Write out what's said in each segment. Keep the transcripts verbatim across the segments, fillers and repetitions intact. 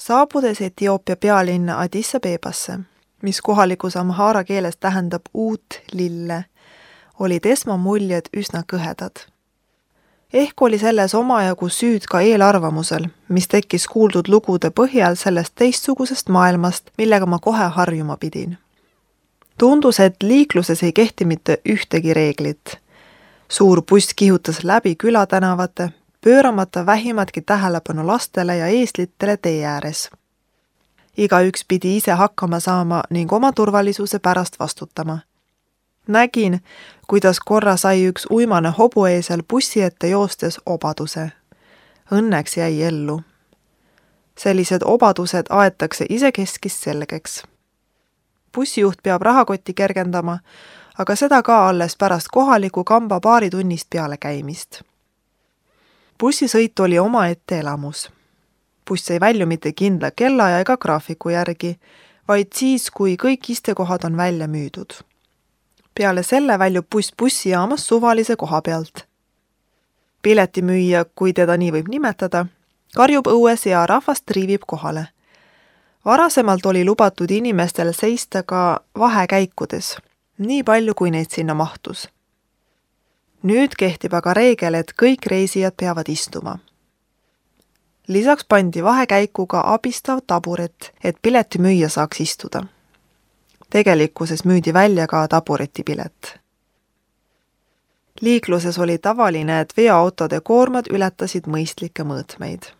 Saabudes Etioopia pealinna Addis Abebasse, mis kohalikus amhaara keeles tähendab uut lille, olid esmamuljed üsna kõhedad. Ehk oli selles omajagu süüd ka eelarvamusel, mis tekkis kuuldud lugude põhjal sellest teistsugusest maailmast, millega ma kohe harjuma pidin. Tundus, et liikluses ei kehti mitte ühtegi reeglit. Suur buss kihutas läbi külatänavate, pööramata vähimatki tähelepanu lastele ja eeslitele tee ääres. Igaüks pidi ise hakkama saama ning oma turvalisuse pärast vastutama. Nägin, kuidas korra sai üks uimane hobueesel bussi ette joostes obaduse. Õnneks jäi ellu. Sellised obadused aetakse isekeskis selgeks. Bussijuht peab rahakotti kergendama, aga seda ka alles pärast kohaliku kamba paari tunnist peale käimist. Bussisõit oli omaette elamus. Buss ei välju mitte kindla kella ja ega graafiku järgi, vaid siis, kui kõik istekohad on välja müüdud. Peale selle väljub buss bussijaamas suvalise koha pealt. Piletimüüja, kui teda nii võib nimetada, karjub õues ja rahvast triivib kohale. Varasemalt oli lubatud inimestel seista ka vahekäikudes, nii palju kui neid sinna mahtus. Nüüd kehtib aga reegel, et kõik reisijad peavad istuma. Lisaks pandi vahekäikuga abistav taburet, et piletimüüja saaks istuda. Tegelikkuses müüdi välja ka taburetipilet. Liikluses oli tavaline, et veoautode koormad ületasid mõistlikke mõõtmeid.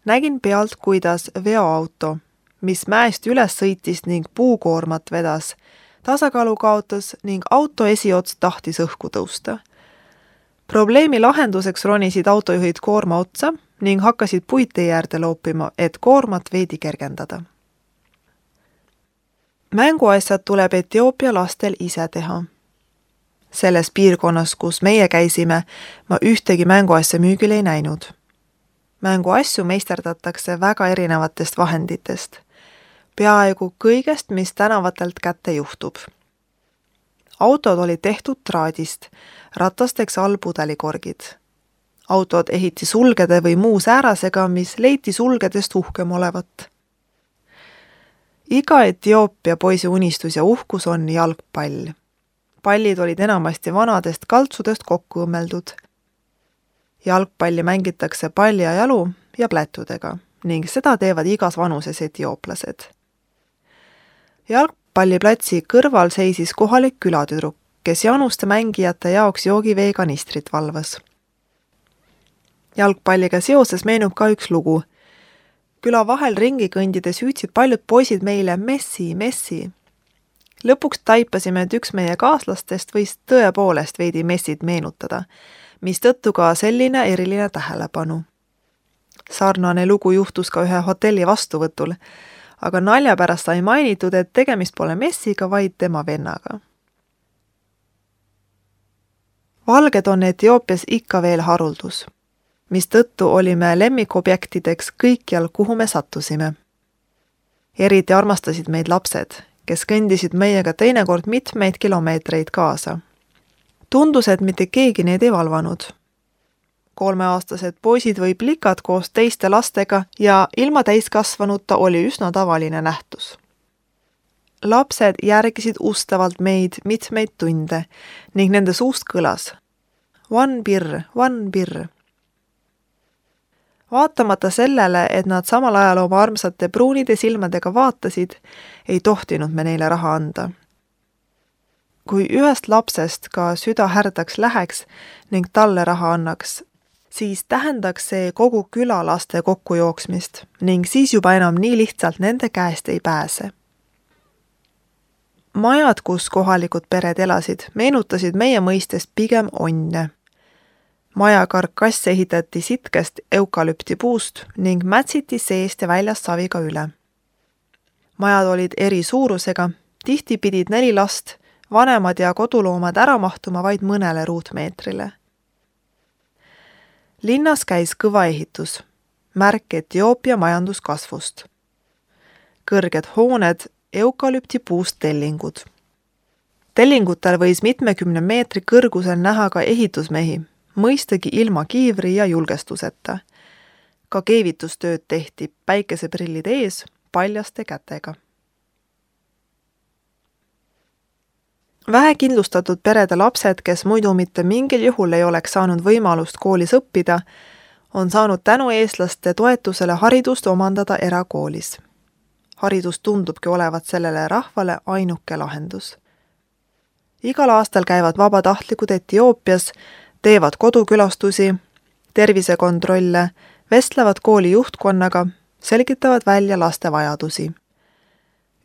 Nägin pealt, kuidas veoauto, mis mäest üles sõitis ning puukoormat vedas, tasakaalu kaotas ning auto esiots tahtis õhku tõusta. Probleemi lahenduseks ronisid autojuhid koorma otsa ning hakkasid puitee äärde loopima, et koormat veidi kergendada. Mänguasjad tuleb Etioopia lastel ise teha. Selles piirkonnas, kus meie käisime, ma ühtegi mänguasja müügil ei näinud. Mänguasju meisterdatakse väga erinevatest vahenditest. Peaaegu kõigest, mis tänavatelt kätte juhtub. Autod olid tehtud traadist, ratasteks all pudelikorgid. Autod ehiti sulgede või muu säärasega, mis leiti sulgedest uhkem olevat. Iga Etioopia poisi unistus ja uhkus on jalgpall. Pallid olid enamasti vanadest kaltsudest kokku õmmeldud. Jalgpalli mängitakse palja jalu ja plätudega ning seda teevad igas vanuses etiooplased. Jalgpalliplatsi kõrval seisis kohalik külatüdruk, kes januste mängijate jaoks joogiveekanistrit valvas. Jalgpalliga seoses meenub ka üks lugu. Küla vahel ringi kõndides hüüdsid paljud poisid meile Messi, Messi. Lõpuks taipasime, et üks meie kaaslastest võis tõepoolest veidi Messit meenutada, mis tõttu ka selline eriline tähelepanu. Sarnane lugu juhtus ka ühe hotelli vastuvõtul, aga nalja pärast sai mainitud, et tegemist pole Messiga, vaid tema vennaga. Valged on Etioopias ikka veel haruldus, mis tõttu olime lemmikobjektideks kõikjal, kuhu me sattusime. Eriti armastasid meid lapsed, kes kõndisid meiega teinekord mitmeid kilomeetreid kaasa. Tundus, et mitte keegi neid ei valvanud. Kolmeaastased poisid või plikad koos teiste lastega ja ilma täiskasvanuta oli üsna tavaline nähtus. Lapsed järgisid ustavalt meid mitmeid tunde ning nende suust kõlas One birr, one birr. Vaatamata sellele, et nad samal ajal oma armsate pruunide silmadega vaatasid, ei tohtinud me neile raha anda. Kui ühest lapsest ka süda härdaks läheks ning talle raha annaks, siis tähendaks see kogu küla laste kokkujooksmist ning siis juba enam nii lihtsalt nende käest ei pääse. Majad, kus kohalikud pered elasid, meenutasid meie mõistes pigem onne. Maja karkass ehitati sitkest eukalüptipuust ning mätsiti seest ja väljast saviga üle. Majad olid eri suurusega, tihti pidid neli last, vanemad ja koduloomad ära mahtuma vaid mõnele ruutmeetrile. Linnas käis kõva ehitus, märk Etioopia majanduskasvust. Kõrged hooned, eukalüptipuust tellingud. Tellingutel võis mitmekümne meetri kõrgusel näha ka ehitusmehi, mõistagi ilma kiivri ja julgestuseta. Ka keevitustööd tehti päikeseprillid ees paljaste kätega. Vähekindlustatud perede lapsed, kes muidu mitte mingil juhul ei oleks saanud võimalust koolis õppida, on saanud tänu eestlaste toetusele haridust omandada erakoolis. Haridus tundubki olevat sellele rahvale ainuke lahendus. Igal aastal käivad vabatahtlikud Etioopias, teevad kodukülastusi, tervisekontrolle, vestlevad kooli juhtkonnaga, selgitavad välja laste vajadusi.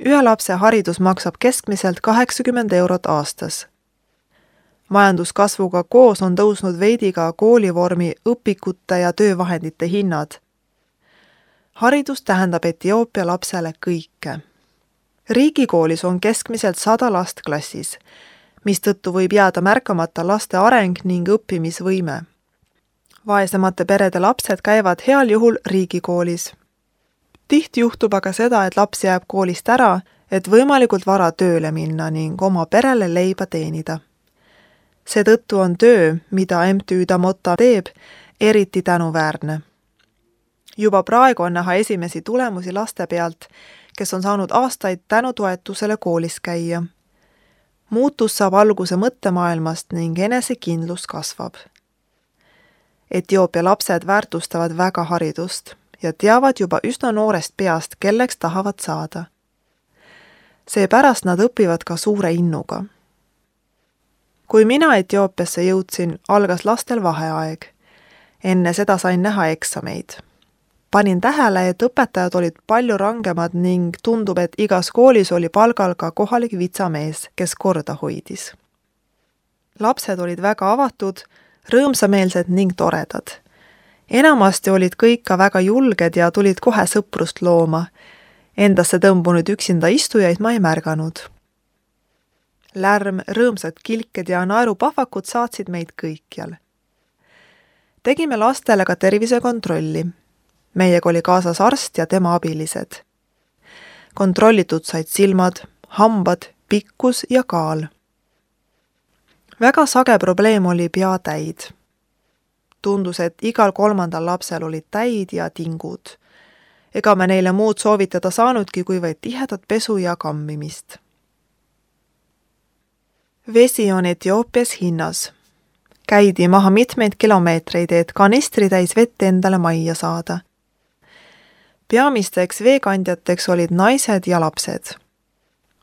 Ühe lapse haridus maksab keskmiselt kaheksakümmend eurot aastas. Majanduskasvuga koos on tõusnud veidi ka koolivormi, õpikute ja töövahendite hinnad. Haridus tähendab Etioopia lapsele kõike. Riigikoolis on keskmiselt sada last klassis, mistõttu võib jääda märkamata laste areng ning õppimisvõime. Vaesemate perede lapsed käivad heal juhul riigikoolis. Tihti juhtub aga seda, et laps jääb koolist ära, et võimalikult vara tööle minna ning oma perele leiba teenida. Seetõttu on töö, mida M T Ü Damota teeb, eriti tänuväärne. Juba praegu on näha esimesi tulemusi laste pealt, kes on saanud aastaid tänu toetusele koolis käia. Muutus saab alguse mõttemaailmast ning enesekindlus kasvab. Etioopia lapsed väärtustavad väga haridust ja teavad juba üsna noorest peast, kelleks tahavad saada. Seepärast nad õpivad ka suure innuga. Kui mina Etioopiasse jõudsin, algas lastel vaheaeg. Enne seda sain näha eksameid. Panin tähele, et õpetajad olid palju rangemad ning tundub, et igas koolis oli palgal ka kohalik vitsamees, kes korda hoidis. Lapsed olid väga avatud, rõõmsameelsed ning toredad. Enamasti olid kõik ka väga julged ja tulid kohe sõprust looma. Endasse tõmbunud üksinda istujaid ma ei märganud. Lärm, rõõmsad kilked ja naerupahvakud saatsid meid kõikjal. Tegime lastele ka tervisekontrolli. Meiega oli kaasas arst ja tema abilised. Kontrollitud said silmad, hambad, pikkus ja kaal. Väga sage probleem oli peatäid. Tundus, et igal kolmandal lapsel olid täid ja tingud. Ega me neile muud soovitada saanudki, kui vaid tihedat pesu ja kammimist. Vesi on Etioopias hinnas. Käidi maha mitmeid kilomeetreid, et kanistri täis vett endale majja saada. Peamisteks veekandjateks olid naised ja lapsed.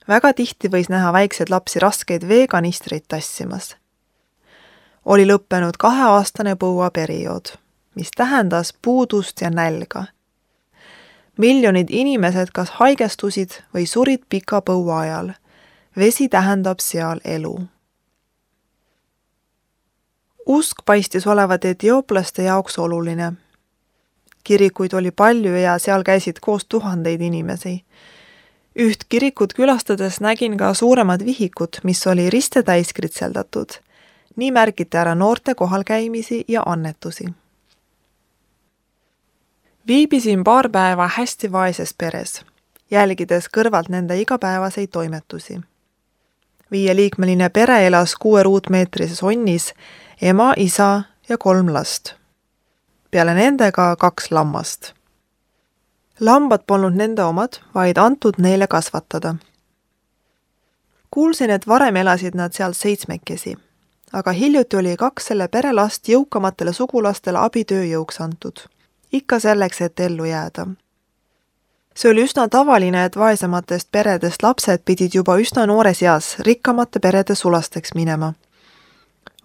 Väga tihti võis näha väikseid lapsi raskeid veekanistreid tassimas. Oli lõppenud kaheaastane põuaperiood, mis tähendas puudust ja nälga. Miljonid inimesed kas haigestusid või surid pika põua ajal. Vesi tähendab seal elu. Usk paistis olevat etiooplaste jaoks oluline. Kirikuid oli palju ja seal käisid koos tuhandeid inimesi. Üht kirikut külastades nägin ka suuremad vihikut, mis oli riste täis kritseldatud. Nii märgiti ära noorte kohalkäimisi ja annetusi. Viibisin paar päeva hästi vaeses peres, jälgides kõrvalt nende igapäevaseid toimetusi. Viieliikmeline pere elas kuue ruutmeetrises onnis, ema, isa ja kolm last. Peale nendega kaks lammast. Lambad polnud nende omad, vaid antud neile kasvatada. Kuulsin, et varem elasid nad seal seitsmekesi, aga hiljuti oli kaks selle pere last jõukamatele sugulastele abitööjõuks antud. Ikka selleks, et ellu jääda. See oli üsna tavaline, et vaesematest peredest lapsed pidid juba üsna noores eas rikkamate perede sulasteks minema.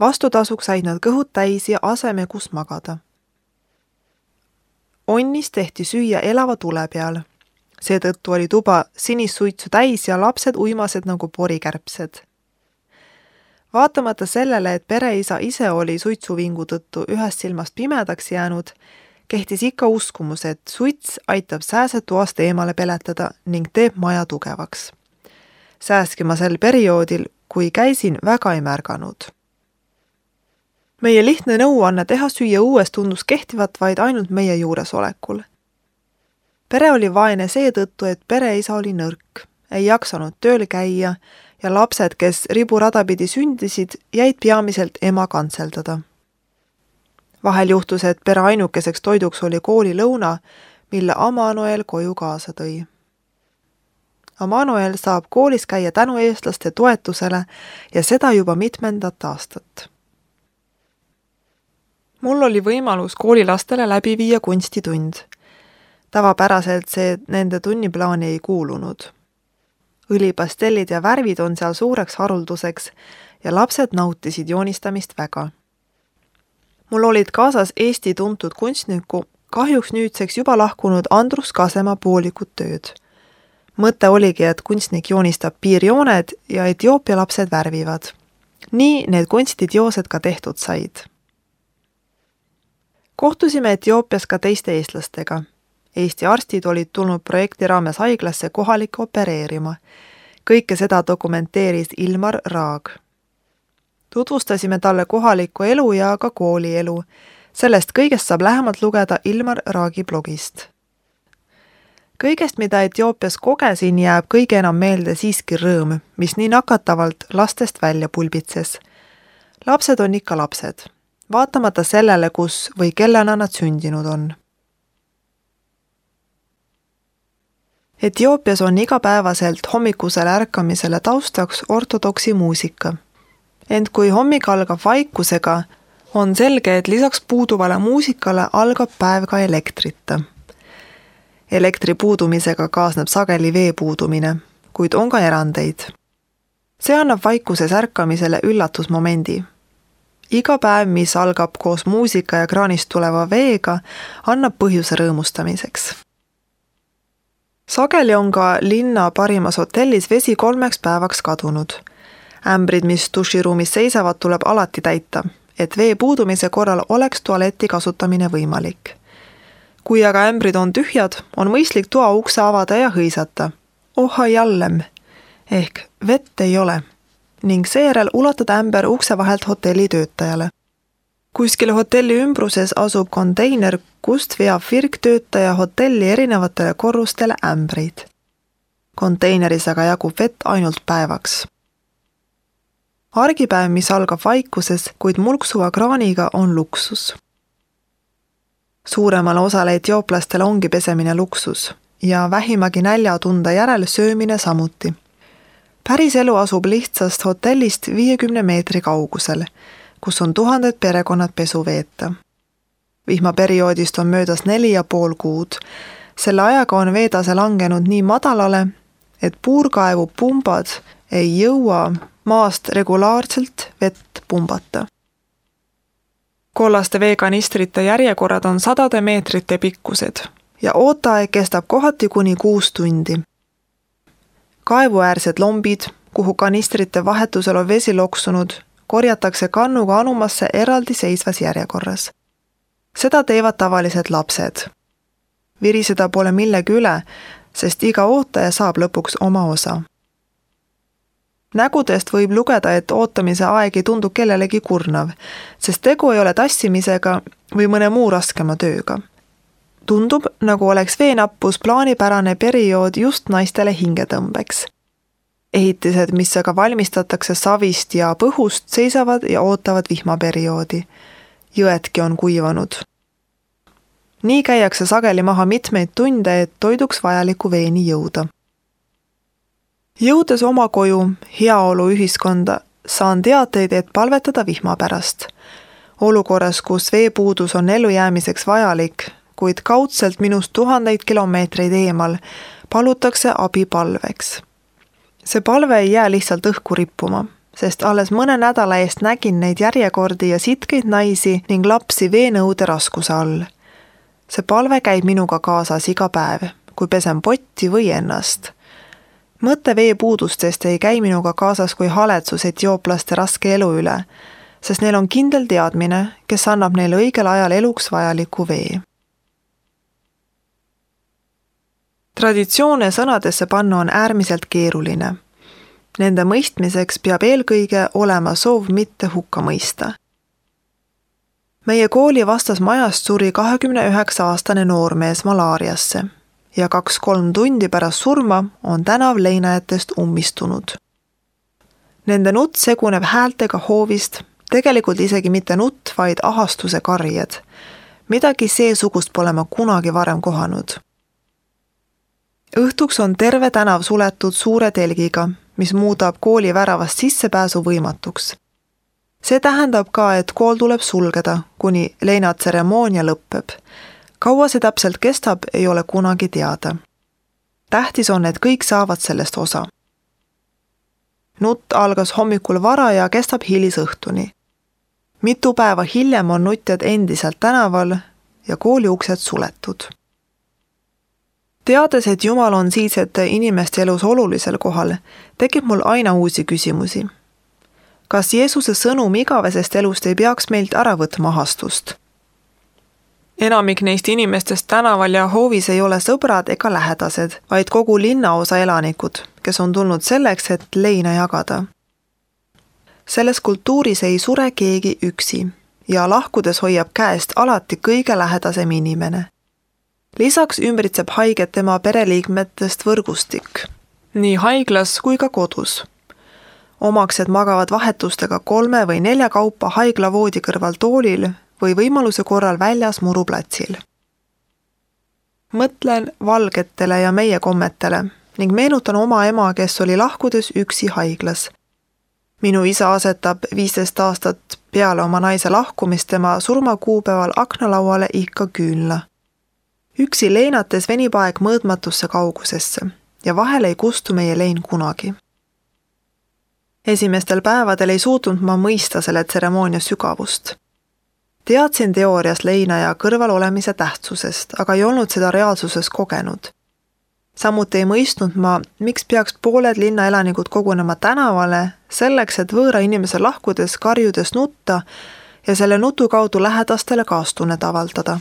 Vastutasuks said nad kõhud täis ja aseme, kus magada. Onnis tehti süüa elava tule peal. Seetõttu oli tuba sinist suitsu täis ja lapsed uimased nagu porikärbsed. Vaatamata sellele, et pereisa ise oli suitsuvingu tõttu ühest silmast pimedaks jäänud, kehtis ikka uskumus, et suits aitab sääsed toast eemale peletada ning teeb maja tugevaks. Sääski ma sel perioodil, kui käisin, väga ei märganud. Meie lihtne nõuanne teha süüa uues tundus kehtivat vaid ainult meie juuresolekul. Pere oli vaene seetõttu, et pereisa oli nõrk, ei jaksanud tööl käia ja lapsed, kes riburada pidi sündisid, jäid peamiselt ema kantseldada. Vahel juhtus, et pere ainukeseks toiduks oli koolilõuna, mille Amanuel koju kaasa tõi. Amanuel saab koolis käia tänu eestlaste toetusele ja seda juba mitmendat aastat. Mul oli võimalus koolilastele läbi viia kunstitund. Tavapäraselt see nende tunniplaani ei kuulunud. Õlipastellid ja värvid on seal suureks harulduseks ja lapsed nautisid joonistamist väga. Mul olid kaasas Eesti tuntud kunstniku, kahjuks nüüdseks juba lahkunud Andrus Kasema poolikud tööd. Mõte oligi, et kunstnik joonistab piirjooned ja Etioopia lapsed värvivad. Nii need kunstiteosed ka tehtud said. Kohtusime Etioopias ka teiste eestlastega. Eesti arstid olid tulnud projekti raames haiglasse kohalikke opereerima. Kõike seda dokumenteeris Ilmar Raag. Tutvustasime talle kohalikku elu ja ka koolielu. Sellest kõigest saab lähemalt lugeda Ilmar Raagi blogist. Kõigest, mida Etioopias kogesin, jääb kõige enam meelde siiski rõõm, mis nii nakatavalt lastest välja pulbitses. Lapsed on ikka lapsed, vaatamata sellele, kus või kellena nad sündinud on. Etioopias on igapäevaselt hommikusele ärkamisele taustaks ortodoksi muusika. Ent kui hommik algab vaikusega, on selge, et lisaks puuduvale muusikale algab päev ka elektrita. Elektri puudumisega kaasneb sageli vee puudumine, kuid on ka erandeid. See annab vaikuses ärkamisele üllatusmomendi. Iga päev, mis algab koos muusika ja kraanist tuleva veega, annab põhjuse rõõmustamiseks. Sageli on ka linna parimas hotellis vesi kolmeks päevaks kadunud. Ämbrid, mis duširuumis seisavad, tuleb alati täita, et vee puudumise korral oleks tualeti kasutamine võimalik. Kui aga ämbrid on tühjad, on mõistlik toa ukse avada ja hõisata. Oha jallem, ehk vett ei ole, ning seejärel ulatada ämber ukse vahelt hotelli töötajale. Kuskil hotelli ümbruses asub konteiner, kust veab virktöötaja hotelli erinevatele korrustele ämbreid. Konteineris aga jagub vett ainult päevaks. Argipäev, mis algab vaikuses, kuid mulksuva kraaniga, on luksus. Suuremale osale etiooplastele ongi pesemine luksus ja vähimagi näljatunde järel söömine samuti. Päris elu asub lihtsast hotellist viiekümne meetri kaugusel, kus on tuhanded perekonnad pesu veeta. Vihmaperioodist on möödas neli ja pool kuud. Selle ajaga on veetase langenud nii madalale, et puurkaevu pumbad ei jõua maast regulaarselt vett pumbata. Kollaste veekanistrite järjekorrad on sadade meetrite pikkused ja ooteaeg kestab kohati kuni kuus tundi. Kaevuäärsed lombid, kuhu kanistrite vahetusel on vesi loksunud, korjatakse kannuga anumasse eraldi seisvas järjekorras. Seda teevad tavalised lapsed. Viriseda pole millegi üle, sest iga ootaja saab lõpuks oma osa. Nägudest võib lugeda, et ootamise aeg ei tundu kellelegi kurnav, sest tegu ei ole tassimisega või mõne muu raskema tööga. Tundub, nagu oleks veenappus plaanipärane periood just naistele hingetõmbeks. Ehitised, mis aga valmistatakse savist ja põhust, seisavad ja ootavad vihmaperioodi. Jõedki on kuivanud. Nii käiakse sageli maha mitmeid tunde, et toiduks vajaliku veeni jõuda. Jõudes oma koju, heaolu ühiskonda, saan teateid, et palvetada vihma pärast. Olukorras, kus veepuudus on ellujäämiseks vajalik, kuid kaudselt minust tuhandeid kilomeetreid eemal, palutakse abi palveks. See palve ei jää lihtsalt õhku rippuma, sest alles mõne nädala eest nägin neid järjekordi ja sitkeid naisi ning lapsi veenõude raskuse all. See palve käib minuga kaasas iga päev, kui pesen potti või ennast. Mõte veepuudustest ei käi minuga kaasas kui haletsus etiooplaste raske elu üle, sest neil on kindel teadmine, kes annab neile õigel ajal eluks vajaliku vee. Traditsioone sõnadesse panna on äärmiselt keeruline. Nende mõistmiseks peab eelkõige olema soov mitte hukka mõista. Meie kooli vastas majast suri kahekümne üheksa aastane noormees malaariasse ja kaks-kolm tundi pärast surma on tänav leinajatest ummistunud. Nende nutt seguneb häältega hoovist, Tegelikult isegi mitte nutt, vaid ahastuse karjed. Midagi seesugust pole ma kunagi varem kohanud. Õhtuks on terve tänav suletud suure telgiga, mis muudab kooli väravast sissepääsu võimatuks. See tähendab ka, et kool tuleb sulgeda, kuni leinatseremoonia lõppeb. Kaua see täpselt kestab, ei ole kunagi teada. Tähtis on, et kõik saavad sellest osa. Nutt algas hommikul vara ja kestab hilisõhtuni. Mitu päeva hiljem on nutjad endiselt tänaval ja kooli uksed suletud. Teades, et Jumal on siinsete inimeste elus olulisel kohal, tekib mul aina uusi küsimusi. Kas Jeesuse sõnum igavesest elust ei peaks meilt ära võtma ahastust? Enamik neist inimestest tänaval ja hoovis ei ole sõbrad ega lähedased, vaid kogu linnaosa elanikud, kes on tulnud selleks, et leina jagada. Selles kultuuris ei sure keegi üksi ja lahkudes hoiab käest alati kõige lähedasem inimene. Lisaks ümbritseb haiget tema pereliikmetest võrgustik, nii haiglas kui ka kodus. Omaksed magavad vahetustega kolme või nelja kaupa haiglavoodi kõrval toolil või võimaluse korral väljas muruplatsil. Mõtlen valgetele ja meie kommetele ning meenutan oma ema, kes oli lahkudes üksi haiglas. Minu isa asetab viisteist aastat peale oma naise lahkumist tema surmakuupäeval aknalauale ikka küünla. Üksi leinates venib aeg mõõtmatusse kaugusesse ja vahel ei kustu meie lein kunagi. Esimestel päevadel ei suutnud ma mõista selle tseremoonia sügavust. Teadsin teoorias leinaja kõrval olemise tähtsusest, aga ei olnud seda reaalsuses kogenud. Samuti ei mõistnud ma, miks peaks pooled linnaelanikud kogunema tänavale selleks, et võõra inimese lahkudes karjudes nutta ja selle nutu kaudu lähedastele kaastunnet avaldada.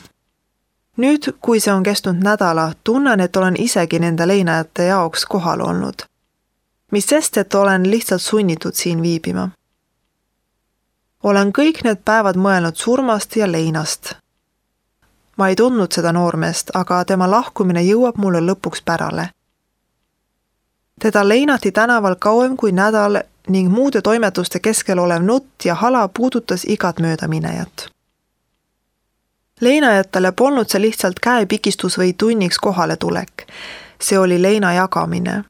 Nüüd, kui see on kestnud nädala, tunnen, et olen isegi nende leinajate jaoks kohal olnud. Mis sest, et olen lihtsalt sunnitud siin viibima. Olen kõik need päevad mõelnud surmast ja leinast. Ma ei tundnud seda noormeest, aga tema lahkumine jõuab mulle lõpuks pärale. Teda leinati tänaval kauem kui nädal ning muude toimetuste keskel olev nutt ja hala puudutas igat möödaminejat. Leinajatele polnud see lihtsalt käepikistus või tunniks kohale tulek. See oli leina jagamine.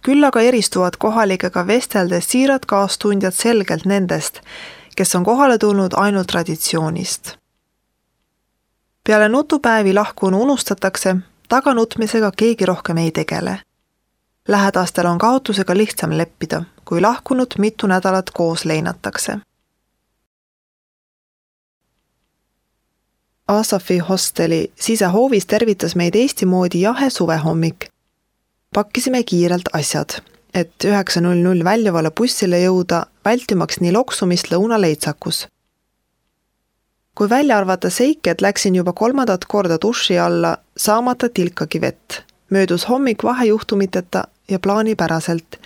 Küll aga eristuvad kohalikega vesteldes siirad kaastundjad selgelt nendest, kes on kohale tulnud ainult traditsioonist. Peale nutupäevi lahkunu unustatakse, taganutmisega keegi rohkem ei tegele. Lähedastel on kaotusega lihtsam leppida, kui lahkunud mitu nädalat koos leinatakse. Asafi hosteli sisehoovis tervitas meid Eesti moodi jahe suvehommik. Pakkisime kiirelt asjad, et üheksa null null väljuvale bussile jõuda, vältimaks nii loksumist lõunaleitsakus. Kui välja arvata seik, et läksin juba kolmandat korda duši alla, saamata tilkagi vett, möödus hommik vahejuhtumiteta ja plaanipäraselt,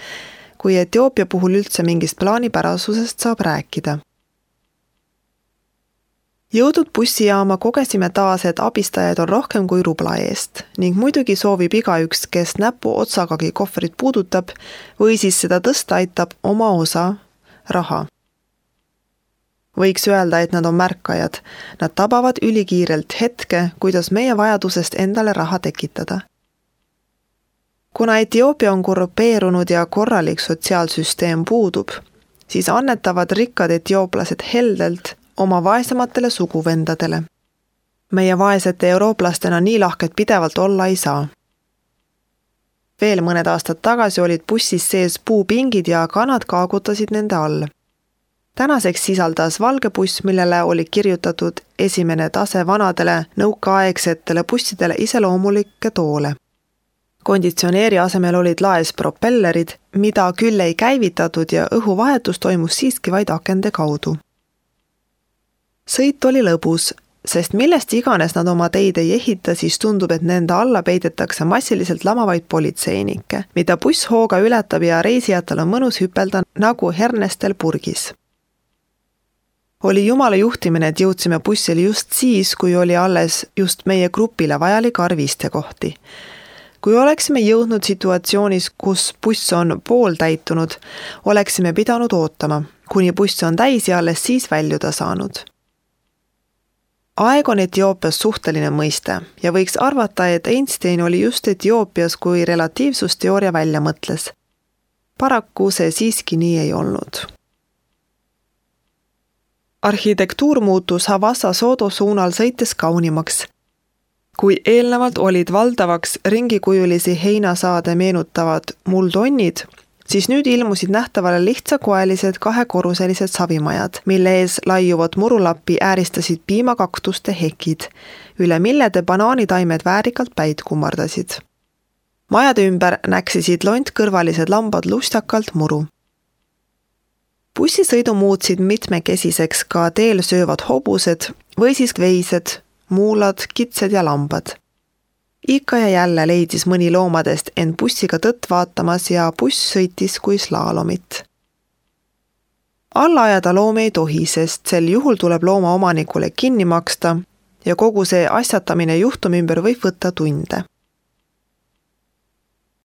kui Etioopia puhul üldse mingist plaanipärasusest saab rääkida. Jõudnud bussijaama kogesime taas, et abistajaid on rohkem kui rubla eest ning muidugi soovib igaüks, kes näpu otsagagi kohvrit puudutab või siis seda tõsta aitab oma osa raha. Võiks öelda, et nad on märkajad. Nad tabavad ülikiirelt hetke, kuidas meie vajadusest endale raha tekitada. Kuna Etioopia on korrupeerunud ja korralik sotsiaalsüsteem puudub, siis annetavad rikkad etiooplased heldelt oma vaesematele suguvendadele. Meie vaesete eurooplastena nii lahked pidevalt olla ei saa. Veel mõned aastad tagasi olid bussis sees puupingid ja kanad kaagutasid nende all. Tänaseks sisaldas valge buss, millele oli kirjutatud esimene tase vanadele nõukaaegsetele bussidele iseloomulikke toole. Konditsioneeri asemel olid laes propellerid, mida küll ei käivitatud ja õhuvahetus toimus siiski vaid akende kaudu. Sõit oli lõbus, sest millest iganes nad oma teid ei ehita, siis tundub, et nende alla peidetakse massiliselt lamavaid politseinikke, mida buss hooga ületab ja reisijatel on mõnus hüpelda nagu hernestel purgis. Oli Jumala juhtimine, et jõudsime bussile just siis, kui oli alles just meie grupile vajalik arv istekohti. Kui oleksime jõudnud situatsioonis, kus buss on pooltäitunud, oleksime pidanud ootama, kuni buss on täis ja alles siis väljuda saanud. Aeg on Etioopias suhteline mõiste ja võiks arvata, et Einstein oli just Etioopias, kui relatiivsusteooria välja mõtles. Paraku see siiski nii ei olnud. Arhitektuur muutus Havassa Sodo suunal sõites kaunimaks. Kui eelnevalt olid valdavaks ringikujulisi heinasaade meenutavad muldonnid, siis nüüd ilmusid nähtavale lihtsakoelised kahekorruselised savimajad, mille ees laiuvad murulappi ääristasid piimakaktuste hekid, üle millede banaanitaimed väärikalt päid kummardasid. Majade ümber näksisid lontkõrvalised lambad lustakalt muru. Bussisõidu muutsid mitmekesiseks ka teel söövad hobused või siis veised, muulad, kitsed ja lambad. Ikka ja jälle leidis mõni loomadest end bussiga tõtt vaatamas ja buss sõitis kui slaalomit. Alla ajada loome ei tohi, sest sel juhul tuleb looma omanikule kinni maksta ja kogu see asjatamine juhtumi ümber võib võtta tunde.